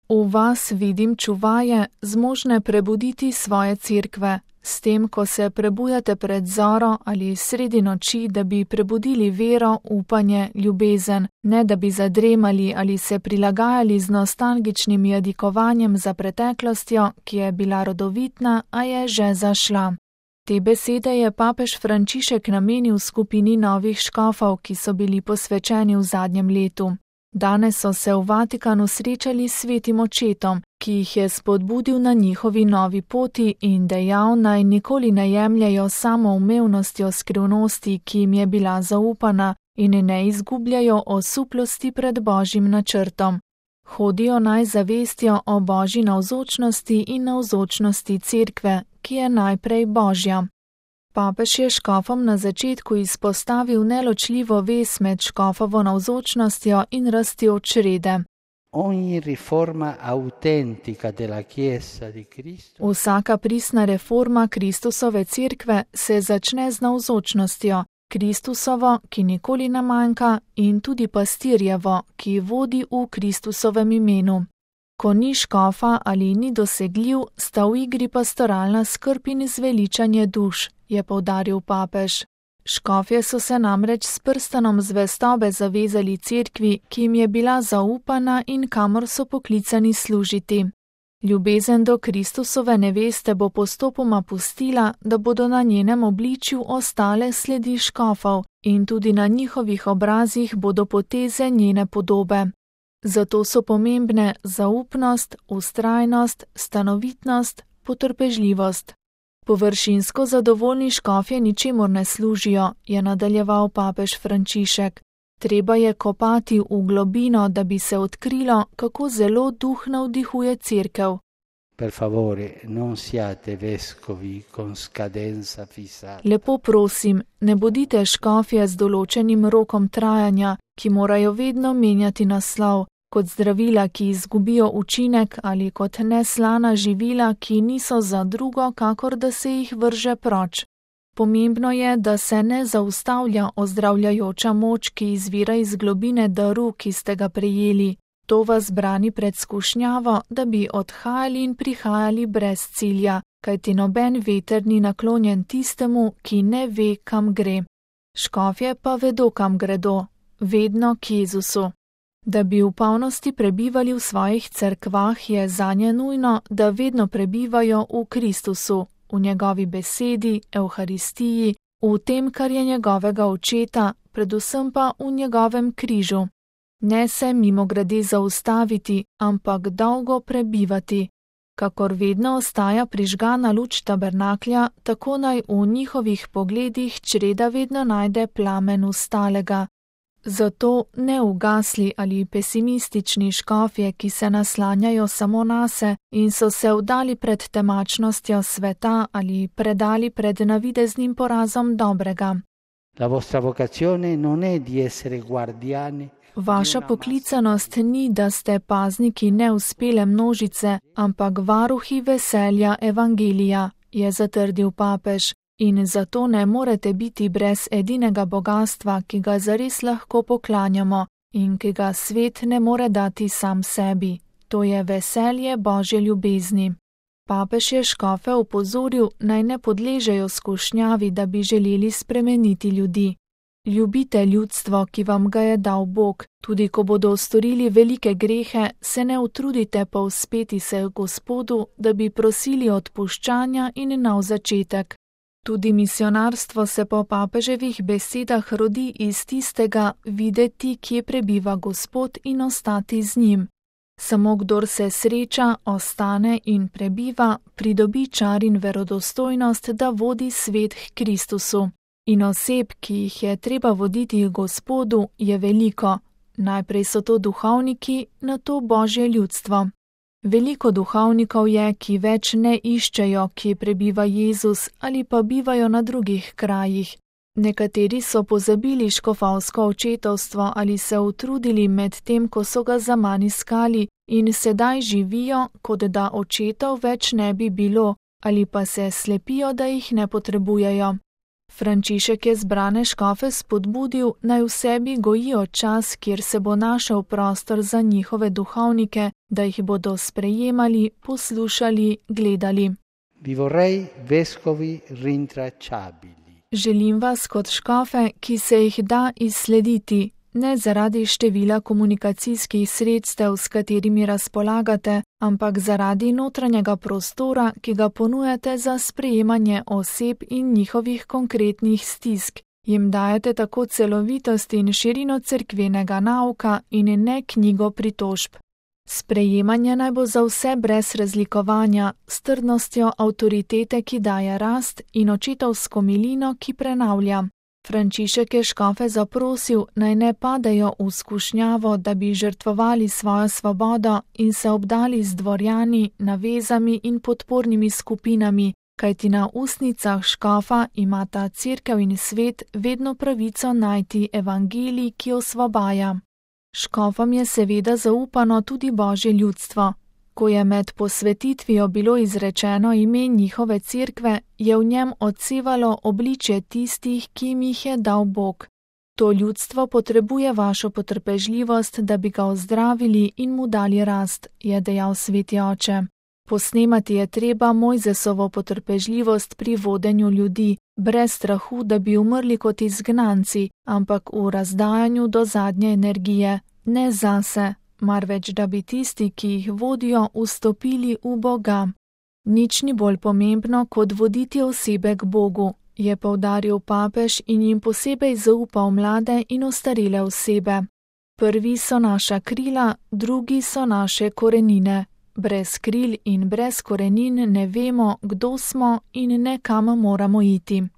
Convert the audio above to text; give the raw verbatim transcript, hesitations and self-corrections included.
V vas vidim čuvaje, zmožne prebuditi svoje cerkve, s tem, ko se prebujate pred zoro ali sredi noči, da bi prebudili vero, upanje, ljubezen, ne da bi zadremali ali se prilagajali z nostalgičnim jadikovanjem za preteklostjo, ki je bila rodovitna, a je že zašla. Te besede je papež Frančišek namenil skupini novih škofov, ki so bili posvečeni v zadnjem letu. Danes so se v Vatikanu srečali s svetim očetom, ki jih je spodbudil na njihovi novi poti in dejal, naj nikoli ne jemljajo samoumevnostjo skrivnosti, ki jim je bila zaupana, in ne izgubljajo osuplosti pred Božjim načrtom. Hodijo naj zavestjo o Božji navzočnosti in navzočnosti cerkve, ki je najprej Božja. Papež je škofom na začetku izpostavil neločljivo vez med škofovo navzočnostjo in rastjo črede. Vsaka pristna reforma Kristusove cerkve se začne z navzočnostjo, Kristusovo, ki nikoli ne manjka, in tudi pastirjevo, ki vodi v Kristusovem imenu. Ko ni škofa ali ni dosegljiv, sta v igri pastoralna skrb in zveličanje duš, je poudaril papež. Škofje so se namreč s prstanom zvestobe zavezali cerkvi, ki jim je bila zaupana in kamor so poklicani služiti. Ljubezen do Kristusove neveste bo postopoma pustila, da bodo na njenem obličju ostale sledi škofov in tudi na njihovih obrazih bodo poteze njene podobe. Zato so pomembne zaupnost, vztrajnost, stanovitnost, potrpežljivost. Površinsko zadovoljni škofje ničemur ne služijo, je nadaljeval papež Frančišek. Treba je kopati v globino, da bi se odkrilo, kako zelo duh navdihuje cerkev. Per favore, non siate vescovi con scadenza fissata. Lepo prosim, ne bodite škofje z določenim rokom trajanja, ki morajo vedno menjati naslov, kot zdravila, ki izgubijo učinek, ali kot neslana živila, ki niso za drugo, kakor da se jih vrže proč. Pomembno je, da se ne zaustavlja ozdravljajoča moč, ki izvira iz globine daru, ki ste ga prejeli. To vas brani pred skušnjavo, da bi odhajali in prihajali brez cilja, kajti noben veter ni naklonjen tistemu, ki ne ve, kam gre. Škofje pa vedo, kam gredo, vedno k Jezusu. Da bi v polnosti prebivali v svojih cerkvah, je zanje nujno, da vedno prebivajo v Kristusu, v njegovi besedi, Evharistiji, v tem, kar je njegovega očeta, predvsem pa v njegovem križu. Ne se mimogrede zaustaviti, ampak dolgo prebivati. Kakor vedno ostaja prižgana luč tabernaklja, tako naj v njihovih pogledih čreda vedno najde plamen ustalega. Zato ne ugasli ali pesimistični škofje, ki se naslanjajo samo nase in so se vdali pred temačnostjo sveta ali predali pred navideznim porazom dobrega. La vostra vocazione non è di essere guardiani. Vaša poklicanost ni, da ste pazniki neuspele množice, ampak varuhi veselja evangelija, je zatrdil papež. In zato ne morete biti brez edinega bogastva, ki ga zares lahko poklanjamo in ki ga svet ne more dati sam sebi. To je veselje Božje ljubezni. Papež je škofe opozoril, naj ne podležejo skušnjavi, da bi želeli spremeniti ljudi. Ljubite ljudstvo, ki vam ga je dal Bog, tudi ko bodo storili velike grehe, se ne utrudite povzpeti se Gospodu, da bi prosili odpuščanja in nov začetek. Tudi misionarstvo se po papeževih besedah rodi iz tistega videti, kje prebiva Gospod in ostati z njim. Samo kdor se sreča, ostane in prebiva, pridobi čar in verodostojnost, da vodi svet k Kristusu. In oseb, ki jih je treba voditi k Gospodu, je veliko. Najprej so to duhovniki, nato Božje ljudstvo. Veliko duhovnikov je, ki več ne iščejo, kje prebiva Jezus ali pa bivajo na drugih krajih. Nekateri so pozabili škofovsko očetovstvo ali se utrudili med tem, ko so ga zaman iskali in sedaj živijo, kot da očetov več ne bi bilo, ali pa se slepijo, da jih ne potrebujejo. Frančišek je zbrane škofe spodbudil, naj v sebi gojijo čas, kjer se bo našel prostor za njihove duhovnike, da jih bodo sprejemali, poslušali, gledali. Vi vorrei vescovi rintracciabili. Želim vas kot škofe, ki se jih da izslediti, ne zaradi števila komunikacijskih sredstev, s katerimi razpolagate, ampak zaradi notranjega prostora, ki ga ponujate za sprejemanje oseb in njihovih konkretnih stisk. Jim dajete tako celovitost in širino cerkvenega nauka in ne knjigo pritožb. Sprejemanje naj bo za vse brez razlikovanja, s trdnostjo avtoritete, ki daje rast, in očetovsko milino, ki prenavlja. Frančišek je škofe zaprosil, naj ne padejo v skušnjavo, da bi žrtvovali svojo svobodo in se obdali z dvorjani, navezami in podpornimi skupinami, kajti na ustnicah škofa imata cerkev in svet vedno pravico najti evangelij, ki osvobaja. Škofom je seveda zaupano tudi Božje ljudstvo. Ko je med posvetitvijo bilo izrečeno ime njihove cerkve, je v njem odsevalo obličje tistih, ki jim jih je dal Bog. To ljudstvo potrebuje vašo potrpežljivost, da bi ga ozdravili in mu dali rast, je dejal sveti oče. Posnemati je treba Mojzesovo potrpežljivost pri vodenju ljudi, brez strahu, da bi umrli kot izgnanci, ampak v razdajanju do zadnje energije, ne zase, marveč da bi tisti, ki jih vodijo, vstopili v Boga. Nič ni bolj pomembno, kot voditi osebe k Bogu, je poudaril papež in jim posebej zaupal mlade in ostarele osebe. Prvi so naša krila, drugi so naše korenine. Brez kril in brez korenin ne vemo, kdo smo in ne kam moramo iti.